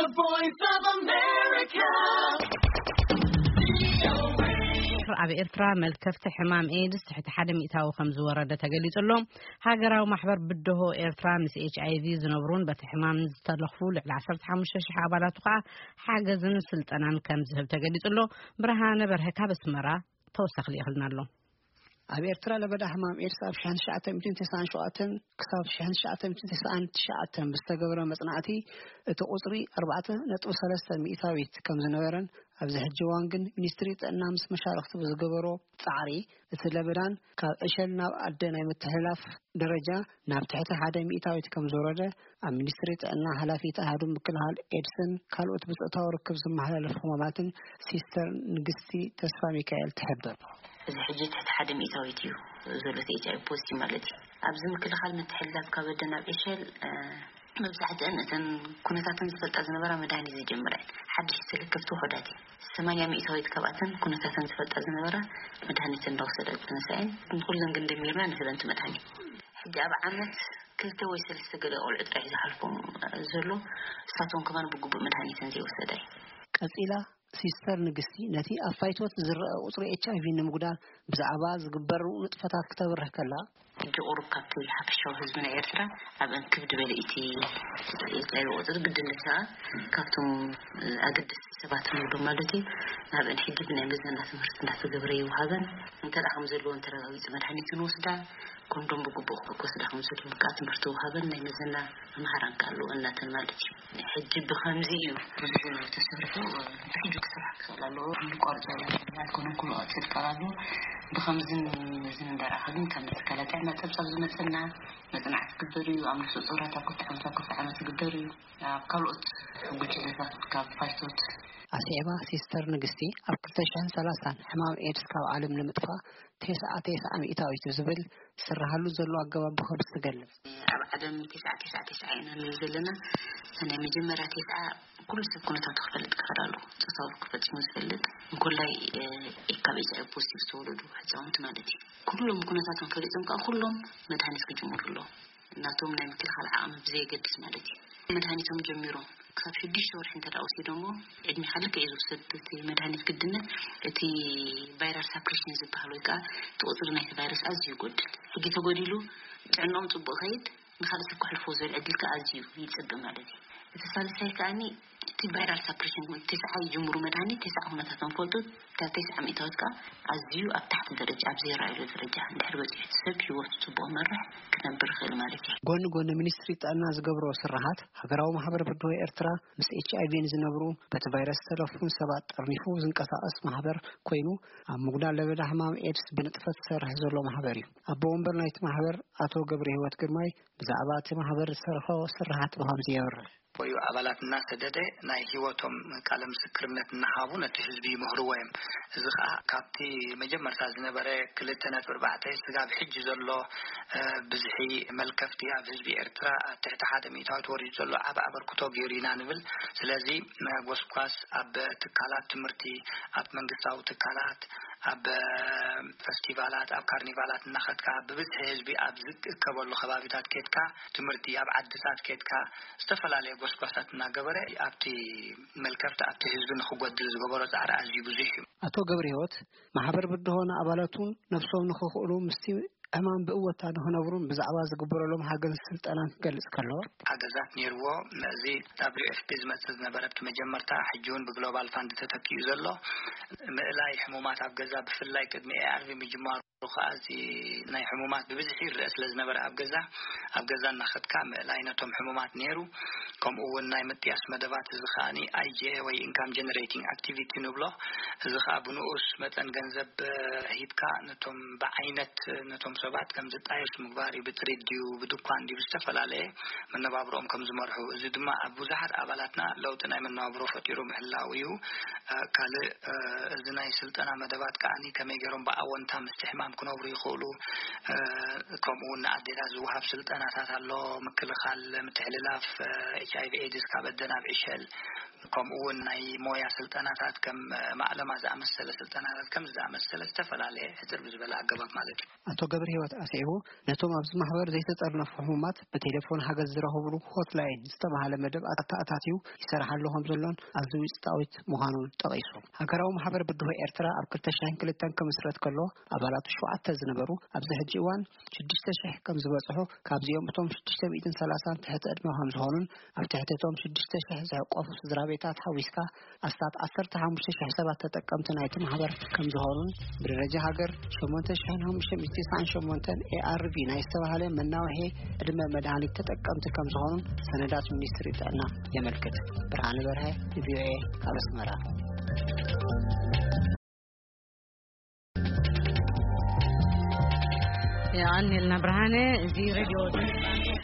The Voice of America. ኣብ ኤርትራ መልከፍቲ ሕማም ኤድስ ትሕቲ ሓደ ሚእታዊ ከም ዝወረደ ተገሊጹ ኣሎ። ሃገራዊ ማሕበር ብድሆ ኤርትራ ምስ ኤች ኣይ ቪ ዝነብሩን በቲ ሕማም ዝተለኽፉ ልዕሊ ዓሰርተ ሓሙሽተ ሽሕ ኣባላቱ ከኣ ሓገዝን ስልጠናን ከም ዝህብ ተገሊጹ ኣሎ። ብርሃነ በርሀ ካብ ኣስመራ ተወሳኺ ልኢኽልና ኣሎ። ኣብ ኤርትራ ለበዳ ሕማም ኤድስ ኣብ ሸሕን ትሽዓተ ሚእትን ተስዓን ሸውዓተን ክሳብ ሸሕን ትሽዓተ ሚእትን ተስዓን ትሽዓተን ብዝተገበረ መጽናዕቲ፣ እቲ ቁጽሪ ኣርባዕተ ነጥቢ ሰለስተ ሚእታዊት ከም ዝነበረን፣ ኣብዚ ሕጂ እዋን ግን ሚኒስትሪ ጥዕና ምስ መሻርኽቲ ብዝገበሮ ጻዕሪ፣ እቲ ለበዳን ካብ ዕሸል ናብ ኣደ ናይ ምትሕልላፍ ደረጃ ናብ ትሕቲ ሓደ ሚእታዊት ከም ዝወረደ ኣብ ሚኒስትሪ ጥዕና ሓላፊት ኣሃዱ ምክልኻል ኤድስን ካልኦት ብጾታዊ ርክብ ዝመሓላለፉ ሕማማትን ሲስተር ንግስቲ ተስፋ ሚካኤል ትሕብር። እዚ ሕጂ ትሕቲ ሓደ ሚእታዊት እዩ ዘሎ፣ እቲ ኤች ኣይ ቪ ፖዚቲቭ ማለት እዩ። ኣብዚ ምክልኻል ምትሕልላፍ ካብ ኣደ ናብ ዕሸል፣ እ፣ መብዛሕትአን እተን ኩነታተን ዝፈልጣ ዝነበራ መድሃኒት ዝጀመራ እየን። ሓድሽ ተለከፍቲ ውሑዳት እየን። ሰማንያ ሚእታዊት ካብኣተን ኩነታተን ዝፈልጣ ዝነበራ መድሃኒት እንዳወሰዳ ዝጸነሳ እየን። ንኹለን ግን ደሚርና ንህበን እቲ መድሃኒት። ሕጂ ኣብ ዓመት ክልተ ወይ ሰለስተ ገለ ቆልዑ ጥራሕ እዩ ዝሓልፎም ዘሎ። እሳቶም ከማን ብግቡእ መድሃኒተን ዘይወሰዳ እዩ። ቀጺላ ሲስተር ንግስቲ ነቲ ኣብ ፋይቶት ዝረአ ቁጽሪ ኤች ኣይ ቪ ንምጉዳል ብዛዕባ ዝግበሩ ንጥፈታት ክተብርህ ከላ፣ ሕጂ ቁሩብ ካብቲ ሓፈሻዊ ህዝቢ ናይ ኤርትራ ኣብ እንክብድ በለ እቲ ኤች ኣይ ቪ ቁጽሪ ግድን ደሳ ካብቶም ኣገደስቲ ሰባት ንብሎም ማለት እዩ። ናብ ሕጂ ብናይ መዘና ትምህርቲ እንዳተገብረ ይወሃበን። እንተ ደኣ ከም ዘለዎን ተረጋጊጹ መድሃኒት ንወስዳ፣ ኮንዶም ብግቡእ ክወስዳ ከም ዘለወን ከዓ ትምህርቲ ወሃበን ናይ መዘና መምሃራን ከዓ ኣለዎ እናተን ማለት እዩ። ሕጂ ብኸምዚ እዩ ብዙሕ ተሰሪሑ፣ ብሕጂ ክስራሕ ክኽእል ኣለዎ። ንቋርጾ ኣይኮነን ኩሉ ቀጺል ቀራሉ። ብኸምዝን እዝን እንዳረኣኸ ግን ከም ትካላት ጥዕና ጸብጻብ ዝመጸና መጽናዕቲ ዝግበር እዩ። ኣብ ነፍሰ ጡራት ኣብ ክልተ ዓመት ኣብ ክልተ ዓመት ዝግበር እዩ። ኣብ ካልኦት ጉጅለታት ካብ ፋይቶት ኣስዒባ ሲስተር ንግስቲ ኣብ ክልተ ሽሕን ሰላሳን ሕማም ኤድስ ካብ ዓለም ንምጥፋእ ተስዓ ተስዓ ሚእታዊት ዝብል ዝስራሃሉ ዘሎ ኣገባብ ብኸምዚ ትገልጽ። ኣብ ዓለም ተስዓ ተስዓ ተስዓ ኢና ንብል ዘለና። እታ ናይ መጀመርያ ተስዓ ኩሉ ሰብ ኩነታቱ ክፈልጥ ክኽእል ኣለዎ። ጾታዊ ክፈጽሙ ዝፈልጥ እንኮላይ፣ እ፣ ካብ ኤች ኣይ ቪ ፖዚቲቭ ዝተወለዱ ህጻውንቲ ማለት እዩ። ኩሎም ኩነታቶም ፈሊጦም ከዓ ኩሎም መድሃኒት ክጅምሩ ኣለዎም። እናቶም ናይ ምክልኻል ዓቕሚ ብዘየገድስ ማለት እዩ። መድሃኒቶም ጀሚሮም ክሳብ ሽዱሽተ ወርሒ እንተ ደኣ ወሲዶምዎ፣ ዕድሜ ካልእ እዩ ዝውሰድ እቲ መድሃኒት ግድነት። እቲ ቫይራል ሳፕሬሽን ዝበሃል ወይ ከዓ እቲ ቁጽሪ ናይቲ ቫይረስ ኣዝዩ ይጎድል። ሕጂ ተጎዲሉ ጥዕናኦም ጽቡቕ ከይድ፣ ንኻልእ ሰብ ክሕልፎ ዝብል ዕድል ከዓ ኣዝዩ ይጽብብ ማለት እዩ። እቲ ሳልሳይ ከኣኒ እቲ ቫይራል ሳፕሬሽን፣ ተስዓ ይጅምሩ መድሃኒት፣ ተስዓ ኩነታቶም ፈልጡ፣ ካብ ተስዓ ሚእታዊት ከዓ ኣዝዩ ኣብ ታሕቲ ደረጃ፣ ኣብ ዘይረኣየሉ ደረጃ እንድሕር በጺሑ፣ እቲ ሰብ ህይወቱ ጽቡቕ መርሕ ክነብር ይኽእል ማለት እዩ። ጎኒ ጎኒ ሚኒስትሪ ጥዕና ዝገብሮ ስራሓት፣ ሃገራዊ ማሕበር ብድሆ ኤርትራ ምስ ኤች ኣይ ቪ ንዝነብሩ በቲ ቫይረስ ዝተለፉን ሰባት ጠርኒፉ ዝንቀሳቐስ ማሕበር ኮይኑ፣ ኣብ ምጉዳል ለበዳ ሕማም ኤድስ ብንጥፈት ዝሰርሕ ዘሎ ማሕበር እዩ። ኣቦ ወንበር ናይቲ ማሕበር ኣቶ ገብረ ህይወት ግርማይ ብዛዕባ እቲ ማሕበር ዝሰርሖ ስራሓት ብኸምዚ የብርህ። ወይ ኣባላት እናሰደደ ናይ ህይወቶም ቃለ ምስክርነት እናሃቡ ነቲ ህዝቢ ይምህርዎ እዮም። እዚ ኸዓ ካብቲ መጀመርታ ዝነበረ ክልተ ነጥቢ ኣርባዕተ ስጋብ ሕጂ ዘሎ፣ እ፣ ብዝሒ መልከፍቲ ኣብ ህዝቢ ኤርትራ ኣብ ትሕቲ ሓደ ሚእታዊት ወሪዱ ዘሎ ዓቢ ኣበርክቶ ገይሩ ኢና ንብል። ስለዚ፣ እ፣ ጎስጓስ ኣብ ትካላት ትምህርቲ፣ ኣብ መንግስታዊ ትካላት፣ ኣብ፣ እ፣ ፈስቲቫላት፣ ኣብ ካርኒቫላት እናኸድካ ብብዝሒ ህዝቢ ኣብ ዝእከበሉ ከባቢታት ኬድካ፣ ትምህርቲ ኣብ ዓድታት ኬድካ፣ ዝተፈላለየ ጎስጓሳት እናገበረ ኣብቲ መልከፍቲ ኣብቲ ህዝቢ ንኽጎድል ዝገበሮ ጻዕሪ ኣዝዩ ብዙሕ እዩ። ኣቶ ገብረ ህይወት፣ ማሕበር ብድሆ ንኣባላቱን ነብሶም ንኽኽእሉ ምስቲ ዕማም ብእወታ ንኽነብሩን ብዛዕባ ዝግበረሎም ሓገዝ ስልጠናን ክገልጽ ከሎ፣ ሓገዛት ነይርዎ። እዚ ደብሊው ኤፍ ፒ ዝመጽእ ዝነበረ ኣብቲ መጀመርታ፣ ሕጂ እውን ብግሎባል ፋንድ ተተኪኡ ዘሎ ምእላይ ሕሙማት ኣብ ገዛ፣ ብፍላይ ቅድሚ ኤ ኣር ቪ ምጅማሩ ከኣ እዚ ናይ ሕሙማት ብብዝሒ ይረአ ስለ ዝነበረ ኣብ ገዛ፣ ኣብ ገዛ እናኸድካ ምእላይ ነቶም ሕሙማት ነይሩ። ከምኡ እውን ናይ ምጥያስ መደባት፣ እዚ ከኣኒ ኣይ ጂ ኤ ወይ ኢንካም ጀነሬቲንግ ኣክቲቪቲ ንብሎ። እዚ ከኣ ብንኡስ መጠን ገንዘብ፣ እ፣ ሂብካ ነቶም ብዓይነት ነቶም ሰባት ከም ዝጣየሱ ምግባር እዩ። ብጥሪት ድዩ፣ ብድኳን ድዩ፣ ብዝተፈላለየ መነባብሮኦም ከም ዝመርሑ። እዚ ድማ ኣብ ብዙሓት ኣባላትና ለውጢ ናይ መነባብሮ ፈጢሩ ምህላው እዩ። እ፣ ካልእ፣ እ፣ እዚ ናይ ስልጠና መደባት ከኣኒ ከመይ ገይሮም ብኣወንታ ምስቲ ሕማም ክነብሩ ይኽእሉ፣ እ፣ ከምኡ እውን ንኣዴታት ዝወሃብ ስልጠናታት ኣሎ፣ ምክልኻል ምትሕልላፍ፣ እ፣ ኤች ኣይ ቪ ኤድስ ካብ ኣደ ናብ ዕሸል። ከምኡ እውን ናይ ሞያ ስልጠናታት ከም ማዕለማ ዝኣመሰለ ስልጠናታት ከም ዝኣመሰለ ዝተፈላለየ ሕፅር ብዝበለ ኣገባብ ማለት እዩ። ኣቶ ገብረ ህይወት ኣስዒቡ፣ ነቶም ኣብዚ ማሕበር ዘይተጠርነፉ ሕሙማት ብቴሌፎን ሓገዝ ዝረኽብሉ ሆትላይን ዝተባህለ መደብ ኣተኣታትዩ ይሰርሓሉ ከም ዘሎን ኣዝዩ ውፅኢታዊት ምዃኑን ጠቒሱ። ሃገራዊ ማሕበር ብድሆ ኤርትራ ኣብ ክልተ ሽሕን ክልተን ክምስረት ከሎ ኣባላቱ ሸውዓተ ዝነበሩ ኣብዚ ሕጂ እዋን ሽዱሽተ ሽሕ ከም ዝበጽሑ፣ ካብዚኦም እቶም ሽዱሽተ ሚእትን ሰላሳን ትሕቲ ዕድመ ከም ዝኾኑን ኣብ ትሕቲ እቶም ሽዱሽተ ሽሕ ዝሕቆፉ ስድራ ቤታት ሓዊስካ ኣስታት ዓሰርተ ሓሙሽተ ሽሕ ሰባት ተጠቀምቲ ናይቲ ማሕበር ከም ዝኾኑን ብደረጃ ሃገር ሸሞንተ ሽሕን ሓሙሽተ ሚእትን ትስዓን ሸሞንተን ኤኣርቪ ናይ ዝተባህለ መናውሒ ዕድመ መድሃኒት ተጠቀምቲ ከም ዝኾኑን ሰነዳት ሚኒስትሪ ጥዕና የመልክት። ብርሃነ በርሀ፣ ቪኦኤ፣ ካብ ኣስመራ። የቐንየልና ብርሃነ። እዚ ሬድዮ